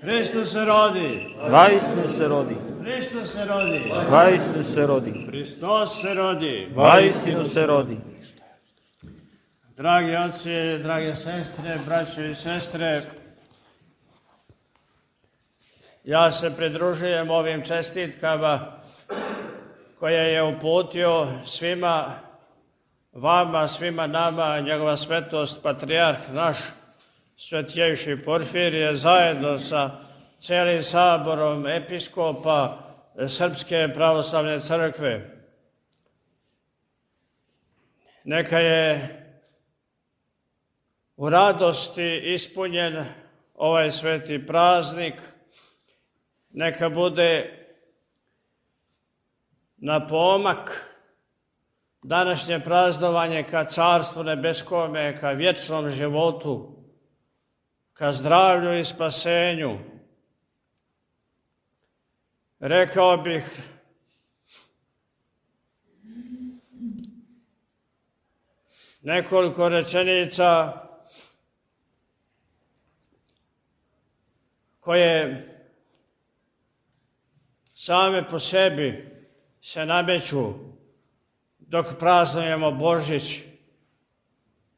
Hristos se rodi. Vaistinu se rodi. Hristos se rodi. Vaistinu se rodi. Hristos se rodi. Vaistinu se rodi. Dragi oci, drage sestre, braćo i sestre, ja se pridružujem ovim čestitkama koje je uputio svima vama, svima nama, njegova svetost, patrijarh naš, svetjejši Porfirije, zajedno sa cijelim saborom episkopa Srpske pravoslavne crkve. Neka je u radosti ispunjen ovaj sveti praznik, neka bude na pomak današnje praznovanje ka Carstvu nebeskome, ka vječnom životu, ka zdravlju i spasenju. Rekao bih nekoliko rečenica koje same po sebi se nameću dok praznujemo Božić,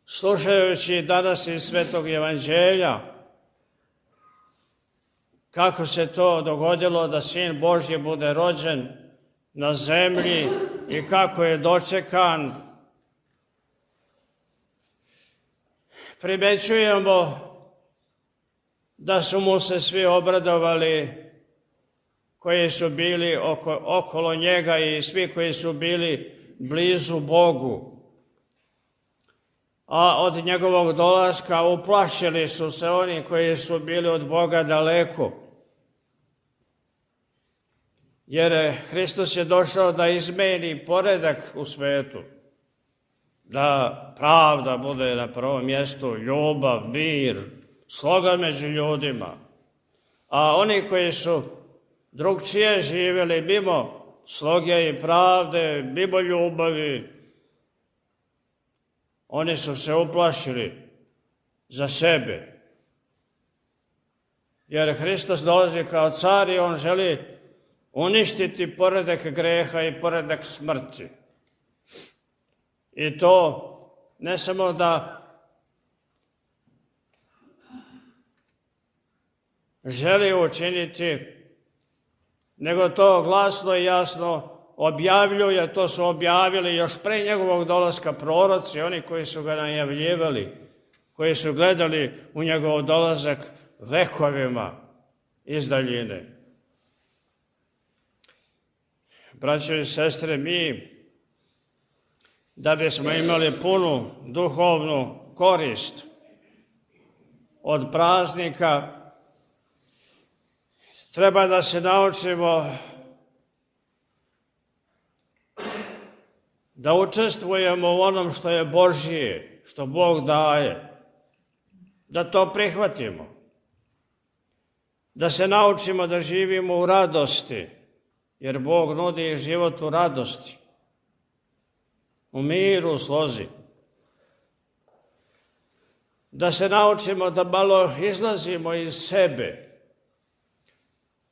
slušajući danas iz Svetog Evanđelja kako se to dogodilo da Sin Božji bude rođen na zemlji i kako je dočekan. Primećujemo da su mu se svi obradovali koji su bili okolo njega i svi koji su bili blizu Bogu. A od njegovog dolaska uplašili su se oni koji su bili od Boga daleko. Jer Hristos je došao da izmeni poredak u svetu, da pravda bude na prvom mjestu, ljubav, mir, sloga među ljudima. A oni koji su drugčije živjeli mimo sloge i pravde, mimo ljubavi, oni su se uplašili za sebe. Jer Hristos dolazi kao car i on želi uništiti poredak greha i poredak smrti. I to ne samo da želi učiniti, nego to glasno i jasno objavljuje. To su objavili još pre njegovog dolaska proroci, oni koji su ga najavljivali, koji su gledali u njegov dolazak vekovima iz daljine. Braćo i sestre, mi, da bismo imali punu duhovnu korist od praznika, treba da se naučimo da učestvujemo u onom što je Božje, što Bog daje, da to prihvatimo, da se naučimo da živimo u radosti, jer Bog nudi život u radosti, u miru, u slozi. Da se naučimo da malo izlazimo iz sebe,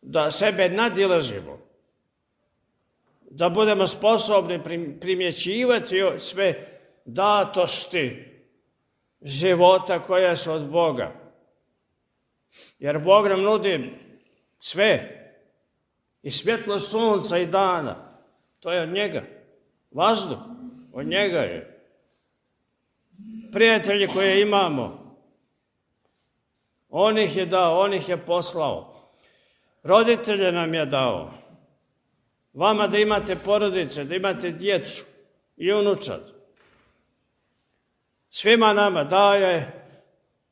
da sebe nadilazimo, da budemo sposobni primjećivati sve datosti života koja su od Boga. Jer Bog nam nudi sve, i svjetlo sunca i dana, to je od njega. Vazduh, od njega je. Prijatelji koje imamo, on ih je dao, on ih je poslao. Roditelje nam je dao. Vama da imate porodice, da imate djecu i unučad. Svima nama dao je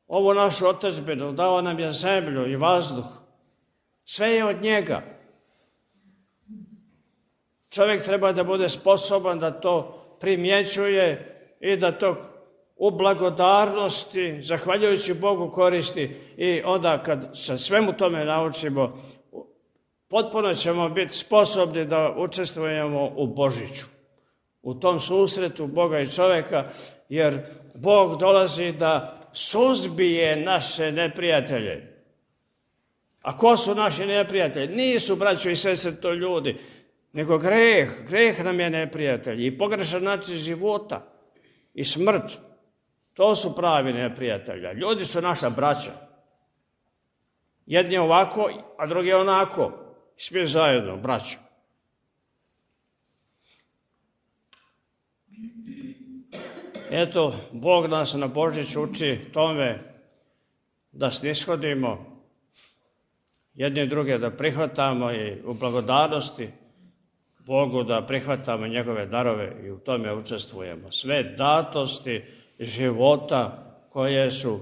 ovu našu otadžbinu, dao nam je zemlju i vazduh. Sve je od njega. Čovjek treba da bude sposoban da to primjećuje i da to u blagodarnosti, zahvaljujući Bogu, koristi. I onda kad se svemu tome naučimo, potpuno ćemo biti sposobni da učestvujemo u Božiću, u tom susretu Boga i čovjeka, jer Bog dolazi da suzbije naše neprijatelje. A ko su naši neprijatelji? Nisu, braćo i sestre, to ljudi, nego greh. Greh nam je neprijatelj i pogrešan način života i smrt. To su pravi neprijatelji. Ljudi su naša braća. Jedni ovako, a drugi onako. Svi zajedno, braća. Eto, Bog nas na Božić uči tome da snishodimo jedni druge, da prihvatamo i u blagodarnosti Bogu, da prihvatamo njegove darove i u tome učestvujemo. Sve datosti života koje su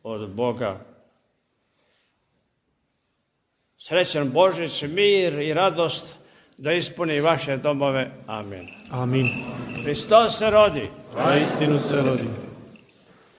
od Boga. Srećan Božić, mir i radost da ispuni vaše domove. Amin. Amin. Hristos se rodi. A istinu se rodi.